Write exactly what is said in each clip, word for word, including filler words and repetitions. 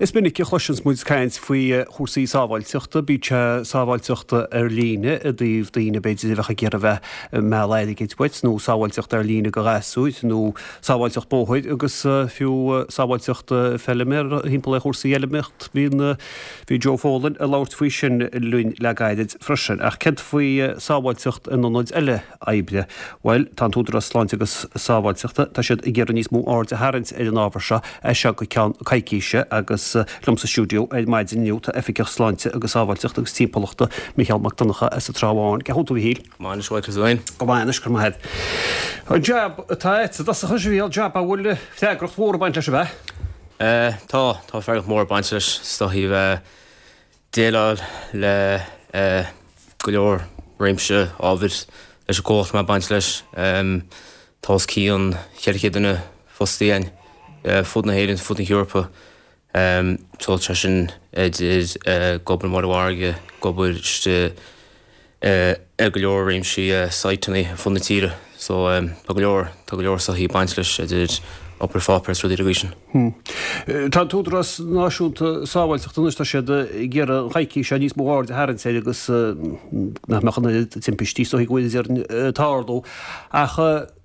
Is minic a chloiseanns muid caint faoi chúrsaí sábháilteachta, bíodh sé sábháilteachta ar líne i dtaobh daoine b'fhéidir a bheadh ag iarraidh bheith ag mealladh airgid uait nó sábháilteacht ar líne do ghasúir nó sábháilteacht bóthair agus fiú sábháilteacht feilméara thimpeall ar chúrsaí fheilméaracht. Bhíonn bhí Joe Folan ag labhairt faoi sin linn le gairid freisin. Ach céard faoi sábháilteacht in ionaid eile oibre? Bhuel, tá an tÚdarás Sláinte agus Sábháilteachta, tá siad ag iarraidh níos mó aird a tharraingt ar an ábhar seo as seo go ceann coicíse agus liom sa stiúideo ar maidin inniu tá Oifigeach Sláinte agus Sábháilteachta agus Timpeallachta, Micheál Mac Donncha as an Trá Bháin. Cén chaoi a bhfuil tú, a Mhichíl? Go maith anois, a Mhichael, féin? Go maith anois, go raibh maith agat. An jab atá agat, i dtosach anois, a Mhichíl, jab a bhfuil freagracht mhór ag baint leis, ab ea? Tá, tá freagracht mhór ag baint leis, is dóichí bheith déileáil le go leor réimse ábhair leis an gcomhlacht mé ag baint leis. Tá os cionn cheithre chéad duine fostaithe againn fud na hÉireann, fud na hEorpa. So tá sin idir ag obair i mBaile an Mhargaidh, ag obair istigh ar go leor réimsí siteanna ar fud na tíre. So tá go leor, tá go leor soithí ag baint leis idir obair pháipéir is rudaí den gcaoi sin. Tá an tÚdarás Náisiúnta Sábháilteachta anois, tá siad ag iarraidh an choicís seo níos mó aird a tharraingt air agus nach mbeadh an oiread timpistí is dóichí go bhfuil déarfainn ag tarlú. Ach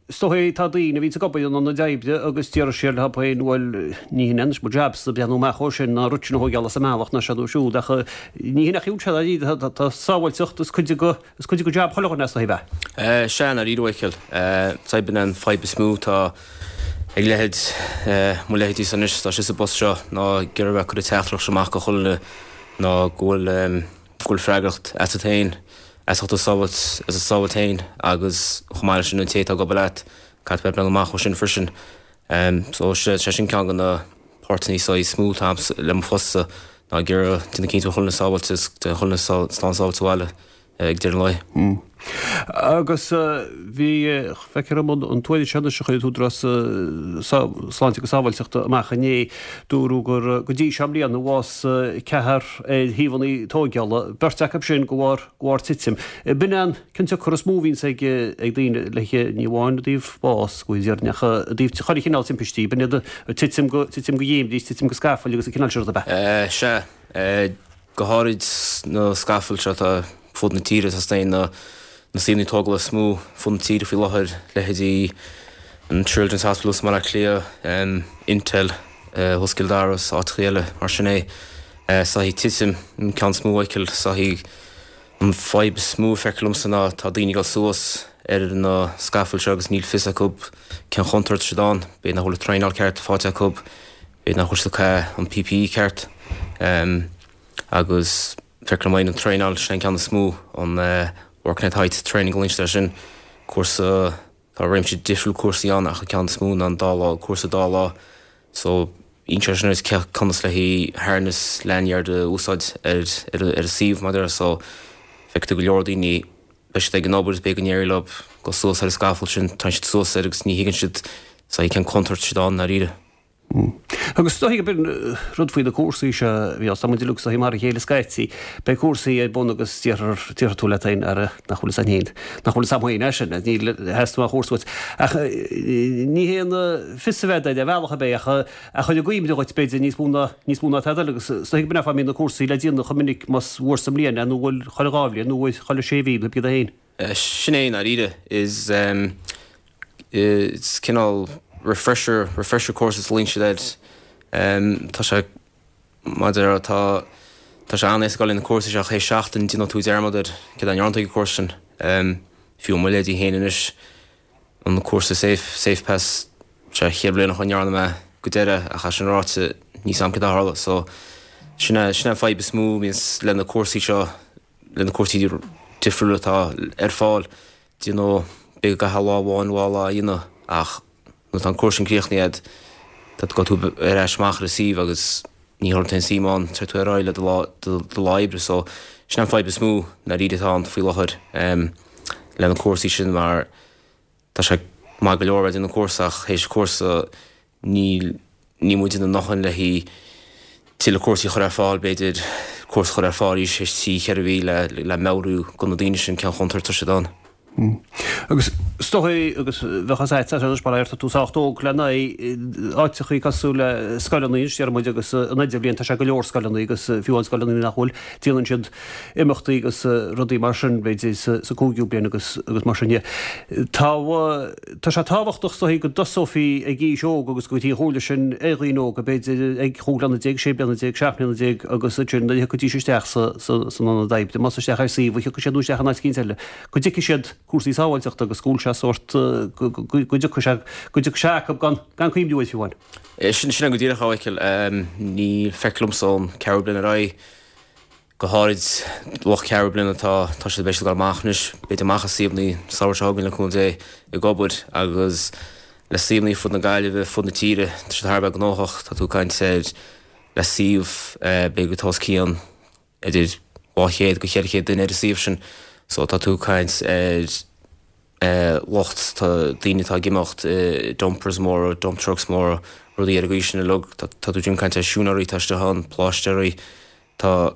is dóichí tá daoine a bhíonns ag obair in ionaid oibre agus déarfaidh siad leo féin bhuel ní hin é anois mo jabsa breathnú amach dhó sin ná rud sin a thóigeáil as an mbealach ná seo nó siúd ach ní hin a chiúin sé dáiríre tá sábháilteacht is cuid de is cuid de jab chuile dhuine is dóichí ab ea? Sea, ndáiríre a Mhichíl. B'in an fadhb is mó atá ag leithéid mo leithéidísa anois atá sa bpost seo ná ag iarraidh a bheith ag cur an teachtaireacht seo amach go chuile dhuine ná go bhfuil go bhfuil freagracht asat féin, as ucht do sábháilt, as do sábháilt féin agus chomh maith leis sin an té atá ag obair leat, caithfidh tú bheith ag breathnú amach dhó sin freisin. So sé sin ceann de na páirteanna is mó atá a'msa le mo phostsa ná ag iarraidh déanamh cinnte go bhfuil chuile dhuine sábháilte is go bhfuil chuile dhuine slán sábháilte sa bhaile ag deireadh an lae. Agus bhí, feictear dom an tuairisc seo anois a chuir an tÚdarás Sláinte agus Sábháilteachta amach inné, dúradh gur go dtí seo i mbliana bhásaigh ceathrar ar shuíomhanna tóigeála, beirt acu sin de bharr de bharr titim. B'in é an cionsiocair is mó a bhíonns ag ag daoine le ní amháin i dtaobh bás go deimhin ach i dtaobh chuile chineál timpistí, b'in iad titim go titim go dhéimbrí, titim go scafaill agus an cineál sin rud ab ea? Sea. Go háirid na scafaill seo atá fud na tíre, tá na na suíomhanna tógála is mó fud na tíre faoi láthair, leithéidí an Children's Hospital i mBaile Átha Cliath, Intel thuas i gCill Dara is áiteachaí eile mar sin é. Soithí titim an ceann is mó a fheiceáil, soithí an fadhb is mó a feictear liomsa ná tá daoine ag dul suas ar na scafaill seo agus níl fios acu cén chontúirt atá siad ann, b'fhéidir nach bhfuil an traenáil ceart faighte acu, b'fhéidir nach bhfuil siad ag caitheamh an PPE ceart. Agus feictear liom an traenáil, sin an ceann is mó, an Working at Height Training a glaonn siad air sin, cúrsa, tá réimse difriúil cúrsaí ann ach an ceann is mó ná an dá lá, cúrsa dá lá. So, insíonn sé sin duit cé conas le haghaidh harness, lanyard a úsáid ar ar an suíomh mar a déarfá. So, feicfidh tú go leor daoine, beidh siad ag an obair is b'fhéidir go n-éireoidh leo dul suas ar an scafall sin, téann siad suas air agus ní thuigeann siad saghas cén contúirt atá siad ann i ndáiríre. Agus is dóichí gurb in rud faoi na cúrsaí seo a bhí tá muid uilig is dóichí mar a chéile scaití. Beidh cúrsaí ar bun agus déarfar, déarfaidh tú leat féin, ara, nach bhfuil fhios a'inn féin, nach bhfuil fhios a'm féin é sin, níl, theastaigh aon chúrsa uait. Ach ní haon fios a bheith air ar bhealach ar bith ach a chur i gcuimhne dhuit b'fhéidir níos mó ná, níos mó ná tada eile agus is dóichí gurb in é an fáth a mbíonn na cúrsaí le déanamh chomh minic más uair sa mbliain é nó bhuel chuile dhá bhliain nó uair chuile sé mhí nó pé é féin. Sin é i ndáiríre. Is is cineál refresher, refresher courses a ghlaonn siad air. Tá sé, mar a déarfá, tá tá sé an-éasca dul ar na cúrsaí seo ach théis seachtain déanann tú dearmad ar céard a ndearna tú ag an gcúrsa sin. Fiú mo leithéidí féin anois, an cúrsa safe, safe pass, sé chéad bliain ó shin a ndearna mé go deireadh ach é sin ráite níl 's a'm céard a tharla. So sin é sin é an fadhb is mó a bhíonns le na cúrsaí seo. le na cúrsaí difriúla atá ar fáil, do you know, b'fhéidir go gcaithfeá lá amháin, dhá lá a dhéanamh ach nuair atá an cúrsa sin críochnaithe agat, tá tú gabhfaidh tú ar ais amach ar an suíomh agus ní chuireann tú aon suim ann, téann tú ar aghaidh le do lá, do, do lá oibre so sin an fadhb is mó ndáiríre atá ann faoi láthair um, le na cúrsaí sin mar tá sé maith go leor a bheith ag déanamh cúrsa ach théis cúrsa Níl, níl muid ina ndóthain le haghaidh tuilleadh cúrsaí a chur ar fáil, b'fhéidir cúrsa a chur ar fáil arís théis trí, cheithre mhí le le meabhrú do na daoine sin cén chontúirt atá siad ann. Agus Is dóigh agus bheadh fhios agat anois mar tá tú sách óg lena áiteachaí cosúil le scoileanna anois deir muid agus an idirbhliain tá sé go leor scoileanna agus fiú an scoileanna nach bhfuil déanann siad imeachtaí agus rudaí mar sin b'fhéidir sa sa cúigiú bliain agus agus mar sin de. Tá tá sé tábhachtach is dóigh go dtosófaí ag aois óg agus go dtí an chomhairle sin ar dhaoine óga b'fhéidir ag chúig bliana déag, sé bliana déag, seacht mbliana déag agus ansin nuair a thiocfaidís isteach sa sa san ionad oibre más isteach ar suíomh a thiocfaidh siad nó isteach in áit eicínt eile go dtuigfidh siad cúrsaí sábháilteachta agus go bhfuil sé sórt go dtiocfaidh sé go dtiocfaidh sé acu gan gan cuimhniú air fiú amháin. Sin sin go díreach a Mhichíl. Ní feictear liomsa ón ceathrú bliain ar aghaidh, go háirid lucht ceathrú bliana atá tá siad beidh siad ag dul amach anois, b'fhéidir amach as suíomhanna an samhradh seo chugainn le cúnamh Dé ag obair agus le suíomhanna fud na Gaillimhe, fud na tíre, tá siad thar a bheith gnóthach, tá tú ag caint ar le suíomh b'fhéidir go os cionn idir dhá chéad go cheithre chéad duine ar an suíomh sin so tá tú ag caint ar lucht, tá daoine atá ag imeacht i dumpers móra, dump trucks móra, rudaí ar an gcaoi sin uilig, tá tú ag caint ar siúinéirí atá istigh ann, pláistéirí, tá,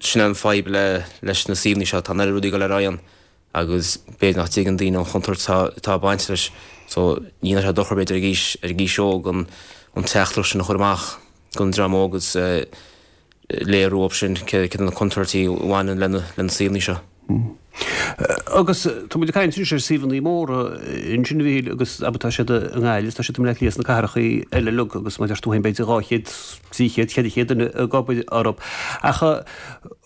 sin é an fadhb le, leis na suíomhanna seo, tá an oiread rudaí ag dul ar aghaidh ann agus b'fhéidir nach dtuigeann daoine an chontúirt atá, atá ag baint leis so ní dhéanfadh sé dochar b'fhéidir ag aois, ar ag aois óg an, an teachtaireacht sin a chur amach don dream óg agus léiriú dóibh sin cé cé na contúirtí a bhaineann le na, le na suíomhanna seo. Agus tá muid ag caint anois ar suíomhanna móra ansin a Mhichíl agus abair tá siad i nGaillimh is tá siad i mBleá Cliath sna cathracha eile uilig agus mar a deir tú féin b'fhéidir dhá chéad, trí chéad, ceithre chéad duine ag obair orthu. Ach an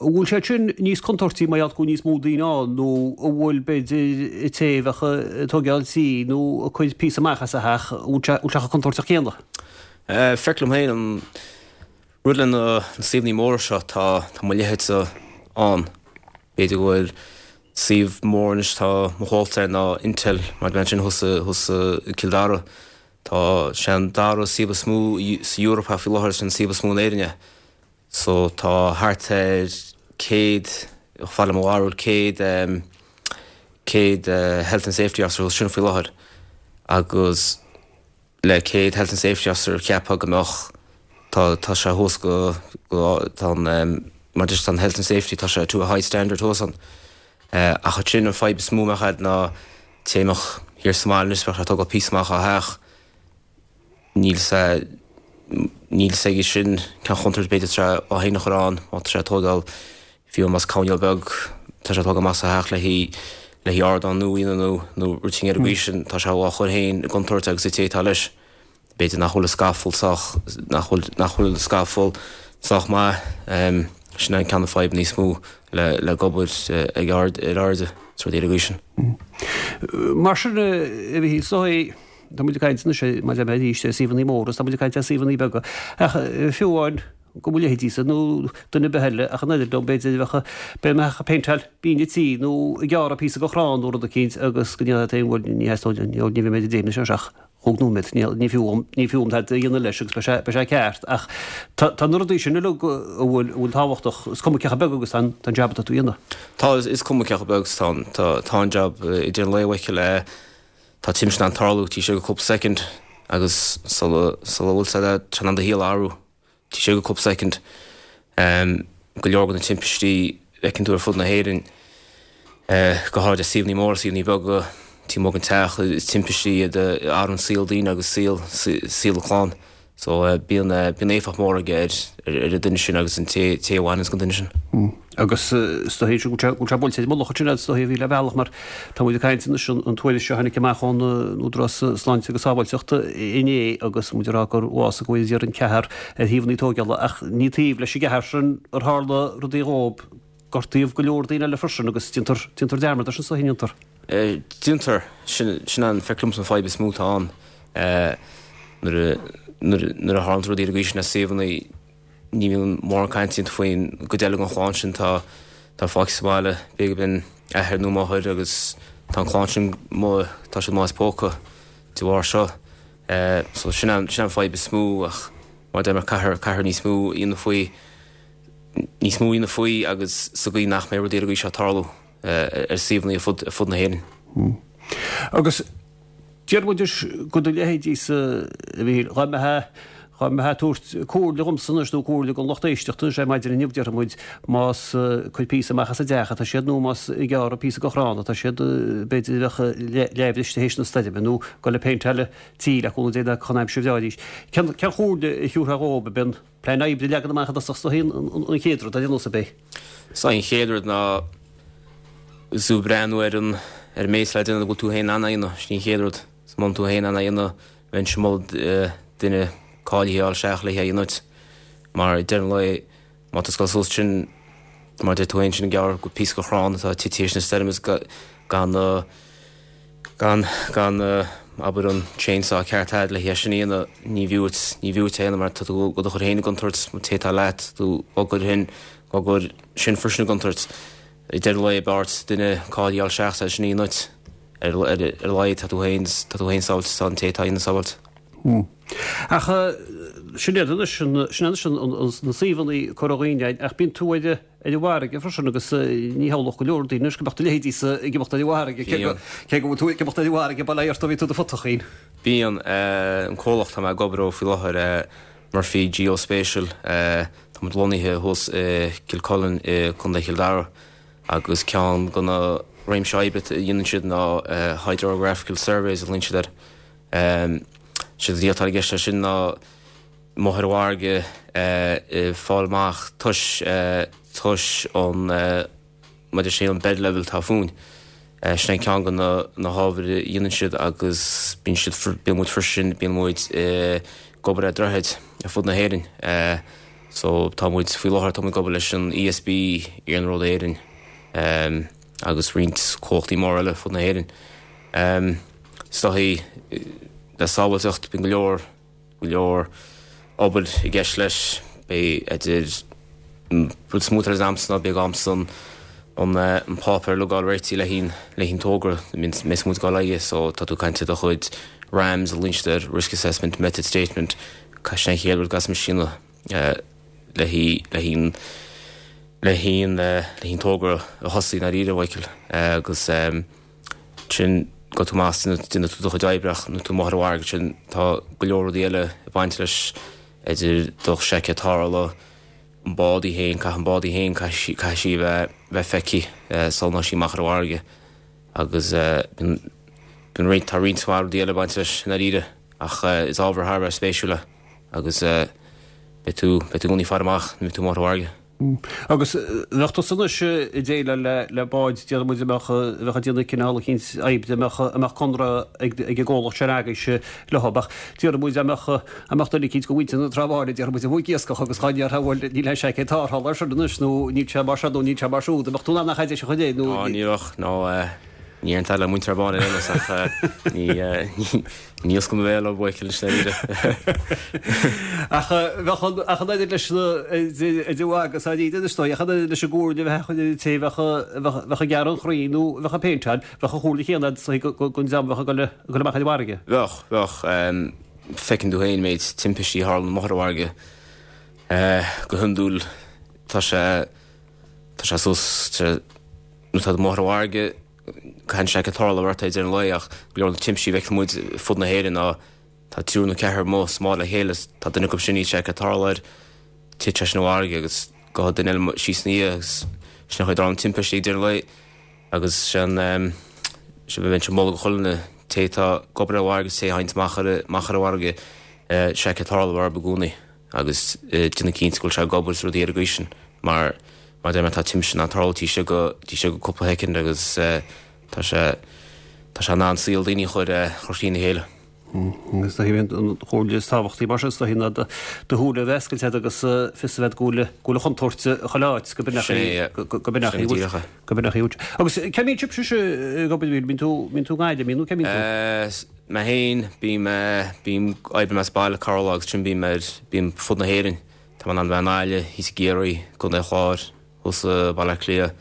bhfuil siad sin níos contúirtí mar gheall go bhfuil níos mó daoine ann nó an bhfuil b'fhéidir an té a bheadh ag tógáil tí nó ag cur píosa amach as a theach, an bhfuil sé chomh contúirteach céanna? Feictear liom féin an rud le na suíomhanna móra seo tá tá mo leithéidse ann. B'fhéidir go bhfuil suíomh mór anois tá mo chomhalta air ná Intel mar bhean sin thuas thuas i Cill Dara. Tá sé an dara suíomh is mó sa Eoraip faoi láthair is an suíomh is mó in Éirinn é. So tá thart ar céad, chomh fada le mo bharúil, céad céad Health and Safety Officer thuas sin faoi láthair agus le céad Health and Safety Officer cheapfá go mbeadh tá tá sé thuas go go tá an mar just an Health and Safety tá sé to a high standard thuas ann. Ach ansin an fadhb is mó a bheadh a'd ná té a mbeadh thiar sa mbaile anois bheadh sé ag tógáil píosa amach á theach níl sé níl 's aige sin cén chontúirt b'fhéidir tá sé á fhéin a chur ann má tá sé ag tógáil fiú más coirnéal beag tá sé ag tógáil amach as a theach le haghaidh le haghaidh ardán nua a dhéanamh nó nó rud éigin ar an gcaoi sin tá sé á chur féin i gcontúirt agus an té atá leis. B'fhéidir nach bhfuil an scafall sách nach bhfuil nach bhfuil an scafall sách maith. Sin é an ceann na fadhbanna níos mó le le ag obair ag ard ar airde is rudaí ar an gcaoi sin. Mar sin a Mhichíl is dóigh tá muid ag caint anois maidir le arís ar suíomhanna móra is tá muid ag caint ar suíomhanna beaga ach fiú amháin go mo leithéidísa nó duine ar bith eile ach an oiread liom b'fhéidir bheadh b'fhéidir mbeadh ag péinteáil binn an tí nó ag gearradh píosa de chrann nó rud eicínt agus go ndéanfadh tú bhuel ní theastóidh ní bheidh mé ag déanamh seo ach chúig nóiméad ní fiú dhom ní fiú dhom tada a dhéanamh leis agus beidh sé beidh sé ceart ach tá tá na rudaí sin uilig a bhfuil a bhfuil tábhachtach is cuma cé chomh beag agus tá an tá an jab atá tú a dhéanamh. Tá is cuma cé chomh beag is tá an tá tá an jab idir an lae Mhichíl tá timpiste in ann tarlú taobh istigh de cúpla soicind agus sula sula bhfuil sé tá in ann do shaol a athrú. Taobh istigh de cúpla soicind. Go leor de na timpistí a fheiceann tú ar fud na hÉireann, go háirid suíomhanna móra, suíomhanna beaga, taobh amuigh den teach, is timpistí iad a athraíonn saol daoine agus saol saol a clann. So bíonn bíonn éifeacht mhór aige ar ar an duine sin agus an té té a bhaineanns den duine sin. Agus is dóigh go bhfuil sé buailte ar an mullach ansin is dóigh a bhí le bealach mar tá muid ag caint anois an tuairisc seo a tháinig amach ón Údarás Sláinte agus Sábháilteachta inné agus muid ag rá gur bhásaigh go bhfuil idir an ceathrar ar shuíomhanna tógála ach ní taobh leis an gceathrar sin ar tharla rudaí dhóibh, gortaíodh go leor daoine eile freisin agus déantar déantar dearmad air sin is dóigh, an ndéantar? Déantar. Sin sin an feictear liomsa an fadhb is mó atá ann nuair a nuair nuair a tharlaíonn rudaí ar an gcaoi sin ar suíomhanna ní bhíonn mórán cainte déanta faoin gcuid eile den chlann sin atá atá fágtha sa bhaile, b'fhéidir gurb in athair nó máthair agus tá an chlann sin amuigh, tá siad amuigh as póca de bharr seo. So sin an sin an fadhb is mó ach mar a deir mé caithfear caithfear níos mó a dhéanamh faoi níos mó a dhéanamh faoi agus sa gcaoi nach mbeidh rudaí ar an gcaoi seo ag tarlú ar suíomhanna ar fud ar fud na hÉireann. Agus deir muid go do leithéidísa a Mhichíl, dá mbeifeá Dá mbeifeá ag tabhairt comhairle dhomsa anois nó comhairle don lucht éisteachta anois ar maidin inniu déarfaidh muid más ag cur píosa amach as an dteach atá siad nó más ag gearradh píosa de chrann atá siad b'fhéidir a bheadh leathbhriste théis na stoirme nó ag dul ag péinteáil tí le cúnamh Dé chun aimsir bhreá arís. Cén chomhairle a thiúrfá dhóibh ab é an plean oibre a leagan amach i dtosach is dóichí an chéad rud ar aon nós ab é? Is é an chéad rud ná is breathnú ar an ar an méid le déanamh go bhfuil tú féin in ann a dhéanamh, sin an chéad rud. Is muna tú féin in ann a dhéanamh, bheinnse ag moladh duine cáilithe a fháil isteach le hé a dhéanamh duit. Mar ag deireadh an lae, má tá tú ag dul suas sin, mar a deir tú féin, sin ag gearradh píosa de chrann atá tite théis na stoirme is gan gan gan abair an chainsaw ceart agat le hé sin a dhéanamh, ní bhfiú duit, ní bhfiú duit é a dhéanamh mar tá tú ag do chur féin i gcontúirt, an té atá leat, tú á gcur féin, á gcur sin freisin i gcontúirt. Ag deireadh an lae b'fhearr duit duine cáilithe a fháil isteach é sin a dhéanamh duit. Ar a laghad tá tú féin, tá tú féin sábháilte, tá an té atá á dhéanamh sábháilte. Ach sin iad anois, sin anois na suíomhanna Cora Dhuibhne, ach bíonn tú ar ar an bhfarraige freisin agus ní shamhlódh go leor daoine anois go mbeadh do leithéidísa ag imeacht ar an bhfarraige, cé go cé go bhfuil tú ag imeacht ar an bhfarraige, bail ó Dhia ort ó bhí tú i do phutachín. Bíonn. An comhlacht atá mé ag obair dó faoi láthair, Murphy Geospatial, tá muid lonnaithe thuas i Kilcullen i gContae Chill Dara agus ceann de na réimsí oibre a dhéanann siad ná hydrographical surveys a ghlaonn siad air. Séard atá i gceist leis sin ná amuigh ar an bhfarraige ag fáil amach tomhas tomhas an maidir sé an bed level atá fúinn. Sin é ceann de na hábhair a dhéanann siad agus bíonn siad bíonn muid freisin bíonn muid ag obair ar droichid ar fud na hÉireann. So tá muid faoi láthair tá muid ag obair leis an ESB, Iarnród Éireann agus roinnt comhlachtaí móra eile ar fud na hÉireann. Is dóichí le sábháilteacht bíonn go leor, go leor obair i gceist leis. Beidh idir an rud is mó atá agamsa ná beidh agamsa an an an páipéar uilig a fháil réitithe le haghaidh le haghaidh an togra a mbeas muid ag dul aghaidh so tá tú ag caint ar do chuid RAMS a ghlaonn siad air, Risk Assessment Method Statement, sin an chéad rud a gcaithfidh muid a dhéanamh le haghaidh le haghaidh le haghaidh le haghaidh an togra a thosaí i ndáiríre, Mhichael, agus sin go tú amach déanfaidh tú do chuid oibre ach nuair tú amuigh ar an bhfarraige sin tá go leor rudaí eile ag baint leis idir do sheiceáil tarrthála, an bád í féin, caithfidh an bád í féin, caithfidh sí a bheith bheith feicthe sula ndeachaigh sí amach ar an bhfarraige agus bíonn bíonn roinnt tá roinnt mhaith rudaí eile ag baint leis i ndáiríre ach is ábhar thar a bheith spéisiúil é agus beidh tú beidh tú i gcónaí ag faire amach nuair a bhíonn tú amuigh ar an bhfarraige. Agus bheadh tusa anois ag déileáil le le báid, déarfaidh muid, a mbeadh a bheadh ag déanamh cineál eicínt oibre, a mbeadh a mbeadh conradh ag ag an gcomhlacht sin agaibhse leo, ach déarfaidh muid, a mbeadh a mbeadh duine eicínt de mhuintir na Trá Báine, déarfaidh muid, amuigh ag iascach agus dhá ndéarfá bhuel níl aon seaicéad tarrthála air sin anois nó níl sé mar seo nó níl sé mar siúd, an mbeadh tú in ann an chaid a chur air nó. Á ní bheadh, nó Ní aon le muintir Báine eile ach ní ní osclaím mo bhéal a Mhichael i ndáiríre. Ach bheadh an ach an oiread leis na idir agus a ríd is dóigh ach an oiread leis an gcomhairle a bheadh an té bheadh bheadh ag gearradh an chrainn nó bheadh ag péinteáil, bheadh an chomhairle chéanna agat don dream a bheadh ag dul ag dul amach ar an bhfarraige. Bheadh, bheadh. Feiceann tú féin méid timpistí a tharlann amuigh ar an bhfarraige. Go hiondúil tá sé tá sé suas nuair atá tú amuigh ar an bhfarraige, Caithfidh an seaicéad tarrthála a bheith ort ag deireadh an lae ach go leor de na timpistí a bhfeiceann muid fud na hÉireann ná tá triúr nó ceathrar amuigh sa mbád le chéile agus tá duine acu sin níl seaicéad tarrthála air, tit sé sin i bhfarraige agus gabhfaidh duine eile síos ina dhiaidh agus sin an chaoi a dtarlaíonn timpistí ag deireadh an lae agus sin sin bheinnse ag moladh do chuile dhuine té atá ag obair ar an bhfarraige agus té a théann amach ar amach ar an bhfarraige seaicéad tarrthála a bheith orthu i gcónaí. agus déanamh cinnte go bhfuil sé ag obair is rudaí ar an gcaoi sin mar mar deir mé tá timpiste in ann tarlú taobh istigh de taobh istigh de cúpla shoicind agus tá sé tá sé in ann saol daoine a chur chur trína chéile. Agus is dóichí an chomhairle is tábhachtaí mar sin is dóichí ná do shúile a bheith oscailte agat agus fios a bheith go bhfuil go bhfuil an chontúirt chuile áit go b'in é go b'in é go b'in é Agus cá mbíonn sibhse ag obair bíonn tú bíonn tú i nGaillimh nó cá mbíonn tú? Mé féin, bím, bím, oibrím as baile corrlá agus ansin bím ar, bím fud na hÉireann. Tá mé in ann bheith i nGaillimh, thíos i gCiarraí, i gContae an Chláir, thuas i Baile Átha Cliath,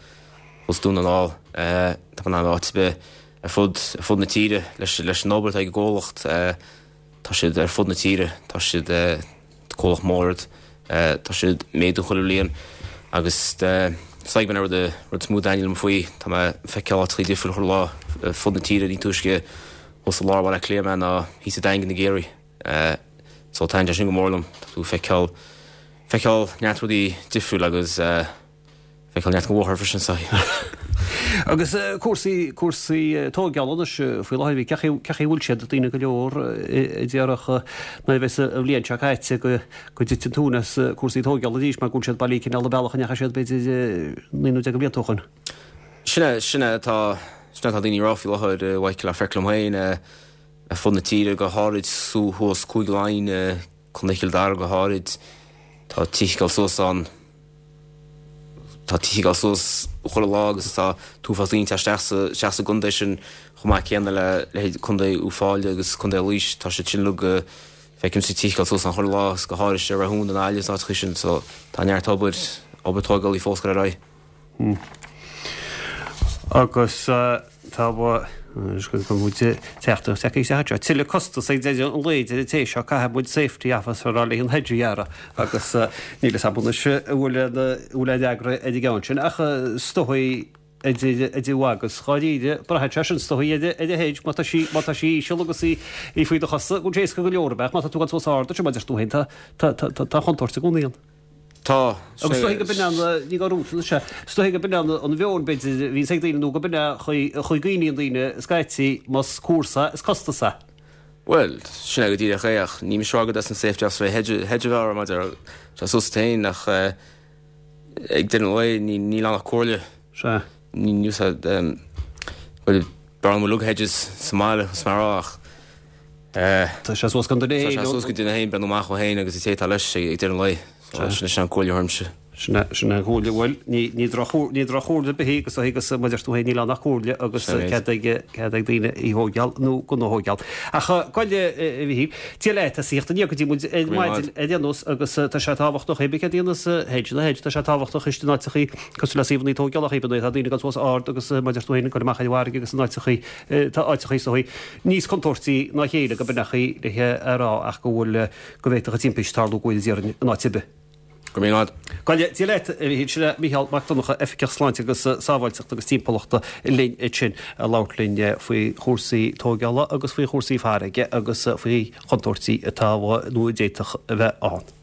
thuas Dún na nGall. Tá mé in ann bheith áit ar bith ar fud, ar fud na tíre leis, leis an obair atá ag an gcomhlacht. Tá siad ar fud na tíre, tá siad, comhlacht mór iad, tá siad ag méadú chuile bhliain agus is dóigh b'in an rud, rud is mó a thaitníonn liom faoi. Tá mé ag feiceáil áiteachaí difriúla chuile lá ar fud na tíre, ní túisce thuas i lár Bhaile Átha Cliath mé ná thíos sa Daingean i gCiarraí. So taitníonn sé sin go mór liom, tá tú feiceáil feiceáil neart rudaí difriúil agus feiceáil neart den bhóthar freisin so. Agus cúrsaí cúrsaí tógála anois faoi láthair, cén chaoi cén chaoi a bhfuil siad, daoine go leor a déarfadh nuair a bheas an bhliain seo caite go go dtiteann tóin as cúrsaí tógála arís mar go bhfuil siad bailí cineál an bealach a ndeachaigh siad b'fhéidir naoi nó deich de bhlianta ó shoin. Sin é sin é atá sin é atá daoine ag rá faoi láthair a Mhichael ach feictear liom féin ar fud na tíre go háirid thuas Cúige Laighean, Contae Chill Dara go háirid, tá tithe ag dul suas ann. Tá tithe ag dul suas chuile lá agus tá t-uafás daoine ag teacht isteach sa isteach sa gcontae sin chomh maith céanna le leithéid Contae Uíbh Fhailí agus Contae Laois tá siad sin uilig feicimse tithe ag dul suas ann chuile lá agus go háirid i Rathún i nGaillimh is áiteacha sin so tá neart obair obair tógála fós ag dul ar aghaidh. Agus tá go muid teacht isteach tuilleadh costas ag deireadh an lae deir an té seo caithfidh muid safety officer a fháil le an hedge a ghearradh agus níl a fhios agam anois an bhfuil an bhfuil aon fhreagra ar an gceann sin ach is dóigh idir idir agus dháiríre braitheann sé sin is dóigh ar ar an hedge má tá sí má tá sí íseal agus í í faoi do chosa go bhfuil sé éasca go leor a bheith má tá tú ag dul suas ard sin mar a deir tú féin tá tá tá tá chontúirt i gcónaí ann. Tá. Agus is dóigh go b'in an, ní gá rúta sé, is dóigh go b'in an mheon b'fhéidir a bhíonns ag daoine nó go b'in an chaoi a gcuimhníonn daoine scaití más cúrsa is costas é. Bhuel, sin é go díreach é ach ní mise a rá go an safety officer hedge hedge a bheith maidir tá suas féin ach ag deireadh an lae ní níl ann ach comhairle. Sea. Ní ní bhuel b'fhearr liom uilig hedges sa mbaile is mar ach Tá sé suas go duine Tá sé suas go duine féin breathnú amach dó féin agus an té atá leis ag deireadh an lae. So sin sin an comhairle a thabharfainnse. Sin é sin é an chomhairle bhuel ní ní droch ní droch-chomhairle ar bith í agus agus mar a deir tú féin níl ann ach comhairle agus Sin é. cead ag cead ag daoine í thógáil nó gan a thógáil. Ach goile a Mhichíl, Dia leat as ucht an go dtí muid ar Go raibh maidin ar aon nós agus tá sé tábhachtach é céard a dhéanas hedge na hedge tá sé tábhachtach istigh in áiteachaí cosúil le suíomhanna tógála ach tá daoine ag dul suas ard agus mar a deir tú féin ag dul amach ar an bhfarraige agus in áiteachaí tá áiteachaí is dóigh níos contúirtí ná a chéile go b'in é le a rá ach go bhfuil go bhféadfadh timpiste tarlú go bhfuil déarfainn in áit ar bith. Go raibh maith agat. Goile Dia leat a Mhichíl sin é Micheál Mac Donncha Oifigeach Sláinte agus Sábháilteachta agus Timpeallachta linn ansin ag labhairt linn faoi chúrsaí tógála agus faoi chúrsaí farraige agus faoi chontúirtí atá nó a d'fhéadfadh a bheith ann.